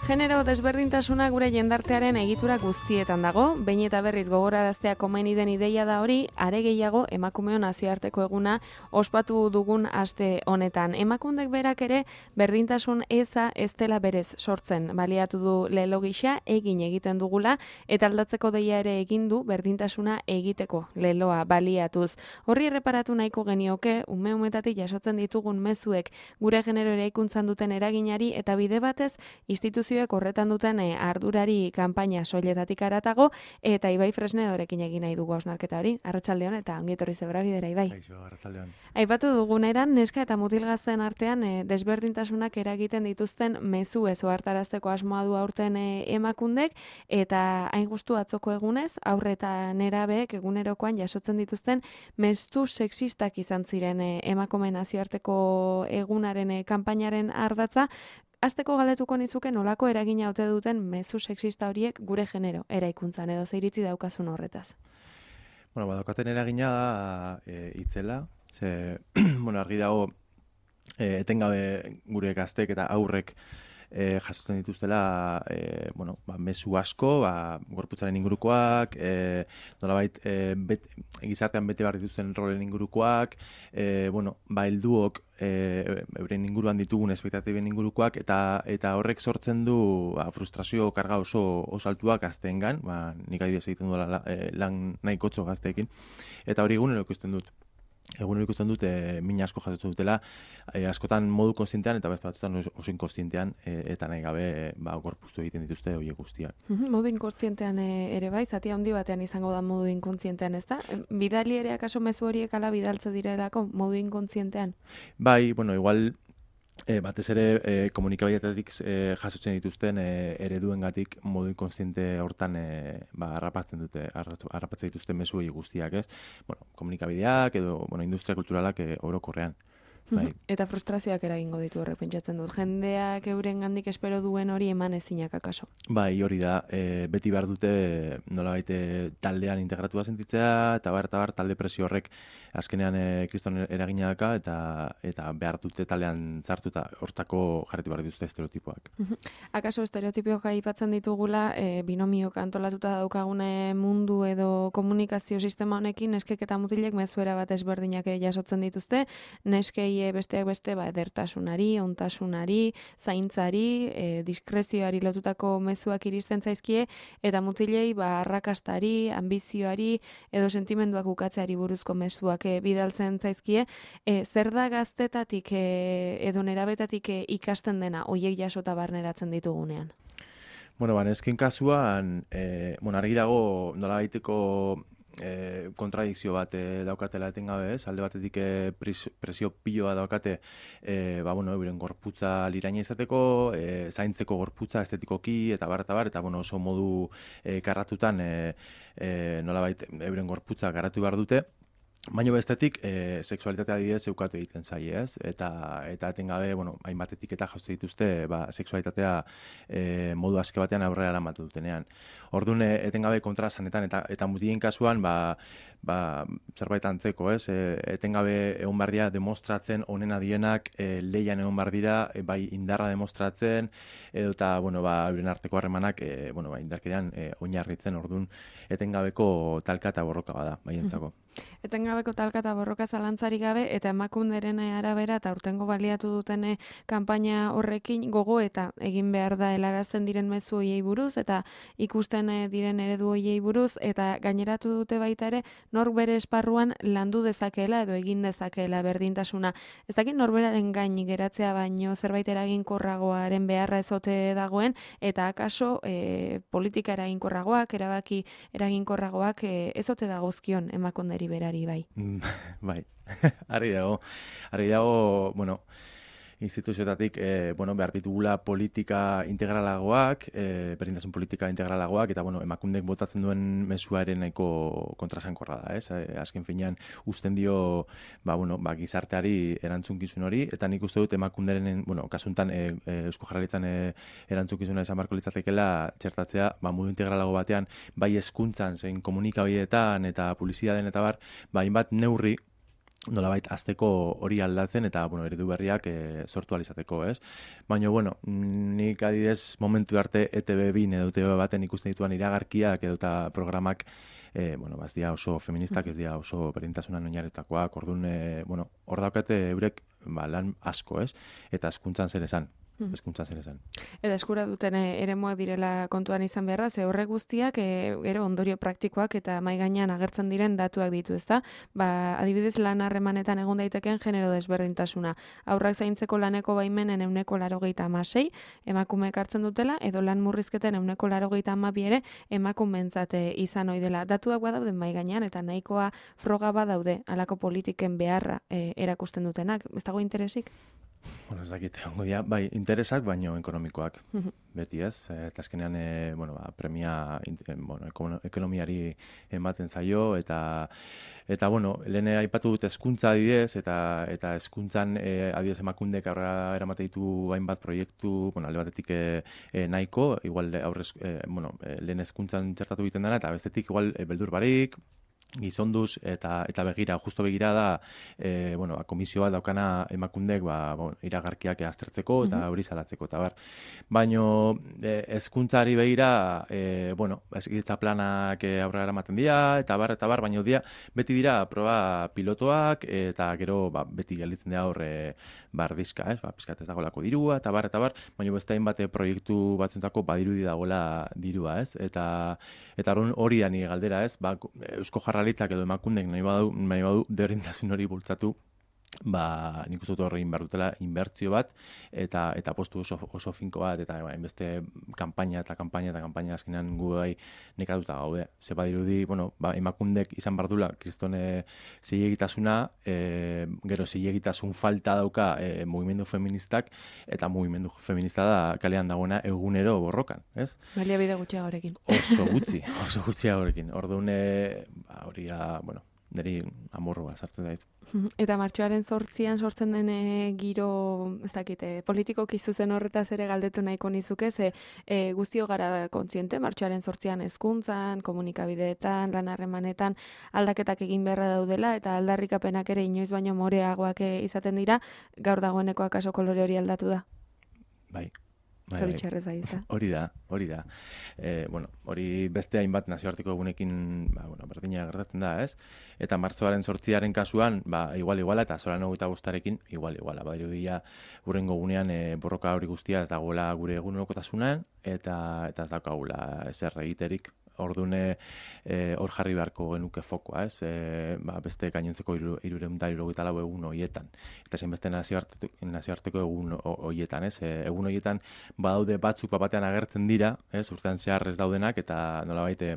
Genero desberdintasuna gure jendartearen egitura guztietan dago, behin eta berriz gogoraraztea komeni den ideia da hori, are gehiago emakumeon nazioarteko eguna ospatu dugun aste honetan. Emakundek berak ere berdintasun eza ez dela berez sortzen, baliatu du lelo gisa egin egiten dugula eta aldatzeko deia ere egin du berdintasuna egiteko leloa baliatuz. Horri erreparatu nahiko genioke ume-umetatik jasotzen ditugun mezuek gure genero eraikuntzan duten eraginari eta bide batez instituzioek horretan duten ardurari kanpaina soiletatik aratago eta Ibai Fresnedorekin egin nahi dugu hausnarketa hori. Arratsaldeon eta ongi etorri zebra bidera, Ibai. Kaixo, arratsaldeon. Aipatu duguneran neska eta mutil gazteen artean desberdintasunak eragiten dituzten mezu ez ohartarazteko asmoa du aurten emakundek eta hain justu atzoko egunez aurre eta nerabeek egunerokoan jasotzen dituzten mezu sexistak izan ziren emakume nazioarteko egunaren kanpainaren ardatza. Hasteko galdetuko nizuke nolako eragina ote duten mezu sexista horiek gure genero eraikuntzan edo ze iritzi daukazun horretaz. Bueno, badaukaten eragina itzela, ze argi dago etengabe gure gaztek eta aurrek jasotzen dituztela mezu asko, gorputzaren ingurukoak, nolabait gizartean bete behar dituzten rolen ingurukoak, helduok euren inguruan ditugun espektatiben ingurukoak eta horrek sortzen du frustrazio karga oso altuak gazteengan, nik adibidez egiten duela lan nahikotxo gazteekin, eta hori egunero ikusten dut. Egunero ikusten dut min asko jasotzen dutela, askotan modu konstientean eta beste batzutan oso inkonstientean eta nahi gabe gorpuztu egiten dituzte horiek guztiak. Modu inkonstientean ere bai, zati handi batean izango da modu inkontzientean, ez da? Bidali ere akaso mezu horiek ala bidaltze direlako modu inkontzientean? Bai, igual batez ere komunikabideetatik jasotzen dituzten ereduengatik modu inkonstiente hortan harrapatzen dituzten mezuei guztiak, ez? Komunikabideak edo industria kulturalak orokorrean. Bai. Eta frustrazioak eragingo ditu horrek pentsatzen dut. Jendeak eurengandik espero duen hori eman ezinak akaso. Bai, hori da. Beti behar dute nolabait taldean integratua sentitzea eta bar talde presio horrek azkenean kriston eragina daka eta behar dute taldean sartu eta hortako jarretu behar dituzte estereotipoak. Akaso estereotipioak aipatzen ditugula binomiok antolatuta daukagune mundu edo komunikazio sistema honekin neskek eta mutilek mezuera bat ezberdinak jasotzen dituzte, neskei besteak beste edertasunari, ontasunari, zaintzari, diskrezioari lotutako mezuak iristen zaizkie eta mutilei arrakastari, ambizioari edo sentimenduak ukatzeari buruzko mezuak bidaltzen zaizkie. Zer da gaztetatik edo nerabetatik ikasten dena hoiek jasota barneratzen ditugunean? Nesken kasuan, argi dago nolabaiteko kontradikzio bat daukatela etengabe, ez? Alde batetik presio piloa daukate euren gorputza liraina izateko, zaintzeko gorputza estetikoki eta eta oso modu karratutan nolabait euren gorputza garatu behar dute. Baina bestetik, sexualitatea adibidez eukatu egiten zaie, ez? Eta etengabe, hainbatetik eta jauste dituzte, sexualitatea modu aske batean aurrera eramate dutenean. Orduan, etengabe kontrasanetan eta mutien kasuan, zerbait antzeko, ez? Etengabe egon behar dira demostratzen onena dienak, leian egon behar dira, bai indarra demostratzen, edo eta, euren arteko harremanak, indarkerian oinarritzen, orduan, etengabeko talka eta borroka bada, baientzako. Etengabeko talka eta borroka zalantzari gabe eta emakunderen arabera eta urtengo baliatu duten kanpaina horrekin gogo eta egin behar da helarazten diren mezu hoiei buruz eta ikusten diren eredu hoiei buruz eta gaineratu dute baita ere nor bere esparruan landu dezakeela edo egin dezakeela berdintasuna. Ez dakit norberaren gain geratzea baino zerbait eraginkorragoaren beharra ezote dagoen eta akaso politika eraginkorragoak, erabaki eraginkorragoak ezote dagozkion emakunderi berari bai. Bai, ari dago, instituzioetatik behar ditugula politika integralagoak, berdintasun politika integralagoak, eta emakundek botatzen duen mezuaren nahiko kontrasankorra da, ez? Azken finean usten dio gizarteari erantzunkizun hori, eta nik uste dut emakunderen, kasuntan Eusko Jaurlaritzan erantzunkizuna izan beharko litzatekeela txertatzea, modu integralago batean, bai hezkuntzan zein komunikabideetan eta publizitatean eta hainbat neurri nolabait azteko hori aldatzen eta eredu berriak sortu alizateko, ez? Baina, nik adidez momentu arte ETV2 edo ETV baten ikusten dituan iragarkiak edo eta programak ez dira oso feministak, ez dira oso berdintasunan oinarritakoak, orduan, hor daukate eurek lan asko, ez? Eta hezkuntzan zer esan. Eta eskura duten eremuak direla kontuan izan behar da, ze horrek guztiak gero ondorio praktikoak eta mahai gainean agertzen diren datuak ditu, ezta? Adibidez lan harremanetan egon daiteken genero desberdintasuna. Haurrak zaintzeko laneko baimenen 96% emakumeek hartzen dutela, edo lan murrizketen 92% ere emakumeentzat izan ohi dela. Datuak badaude mahai gainean eta nahikoa froga badaude halako politiken beharra erakusten dutenak. Ez dago interesik? Ez dakit, bai, interesak, baino ekonomikoak, beti ez, eta azkenean, premia, ekonomiari ematen zaio, eta lehen aipatu dut hezkuntza adibidez, eta hezkuntzan adibidez emakundek aurrera eramate ditu hainbat proiektu, alde batetik nahiko, igual lehen hezkuntzan txertatu egiten dena, eta bestetik igual beldur barik, gizonduz eta justo begira da komisio bat daukana emakundek iragarkiak aztertzeko eta hori salatzeko eta bar. Baino hezkuntzari begira hezkuntza planak aurrera eramaten dira eta bar, baino beti dira proba pilotoak eta gero beti gelditzen dira hor bardizka, ez? Pizkat ez dagoelako dirua eta bar, baino beste hainbat proiektu batzuentzako badirudi dagoela dirua, ez? Eta hori da nire galdera, ez? Eusko Jaurlaritzak edo emakundek nahi badu berdintasun hori bultzatu, nik uste dut horrein behar dutela inbertzio bat eta postu oso finko bat eta beste kanpaina azkenean gu bai nekatuta gaude. Ze badirudi, emakundek izan behar dula kristone zilegitasuna, gero zilegitasun falta dauka mugimendu feministak eta mugimendu feminista da kalean dagoena egunero borrokan, ez? Baliabide gutxiagorekin. Oso gutxiagorekin. Orduan, hori da, niri amorroa sartzen daitu. Eta martxoaren 8an sortzen den giro, ez dakite, politikoki zuzen horretaz ere galdetu nahiko nizuke, ze guztio gara kontziente, martxoaren 8an hezkuntzan, komunikabideetan, lan harremanetan aldaketak egin beharra daudela, eta aldarrikapenak ere inoiz baino moreagoak izaten dira, gaur dagoeneko akaso kolore hori aldatu da? Bai. Zoritxarrez bai, ez da? Hori da. Hori beste hainbat nazioarteko egunekin berdina gertatzen da, ez? Eta martxoaren 8aren kasuan, igual, eta zoran 25arekin, igual. Badirudia hurrengo gunean borroka hori guztia ez dagoela gure egunerokotasunan, eta ez daukagula ezer egiterik. Ordune hor jarri beharko genuke fokoa, ez? Beste gainontzeko 374 egun horietan. Eta zein beste nazioarteko egun horietan, ez? Egun horietan badaude batzuk batean agertzen dira, ez? Urtean zehar ez daudenak eta nolabait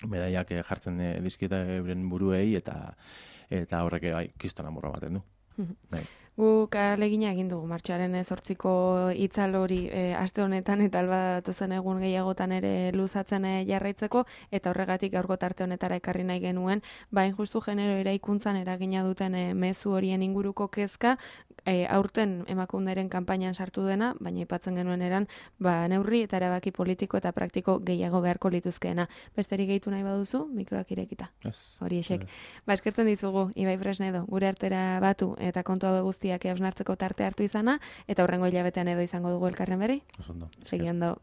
medaiak jartzen dizkiete euren buruei eta horrek kriston amorra baten du. Guk ahalegina egin dugu martxoaren 8ko itzal hori aste honetan eta alba datozen egun gehiagotan ere luzatzen jarraitzeko eta horregatik gaurko tarte honetara ekarri nahi genuen, hain justu genero eraikuntzan eragina duten mezu horien inguruko kezka aurten emakunderen kanpainan sartu dena, baina aipatzen genuen eran neurri eta erabaki politiko eta praktiko gehiago beharko lituzkeena. Besterik gehitu nahi baduzu, mikroak irekita. Hori esek. Eskertzen dizugu, Ibai Fresnedo, gure artera batu eta kontu hau guztiak hausnartzeko tarte hartu izana, eta hurrengo hilabetean edo izango dugu elkarren berri. Oso ondo. Segi ondo.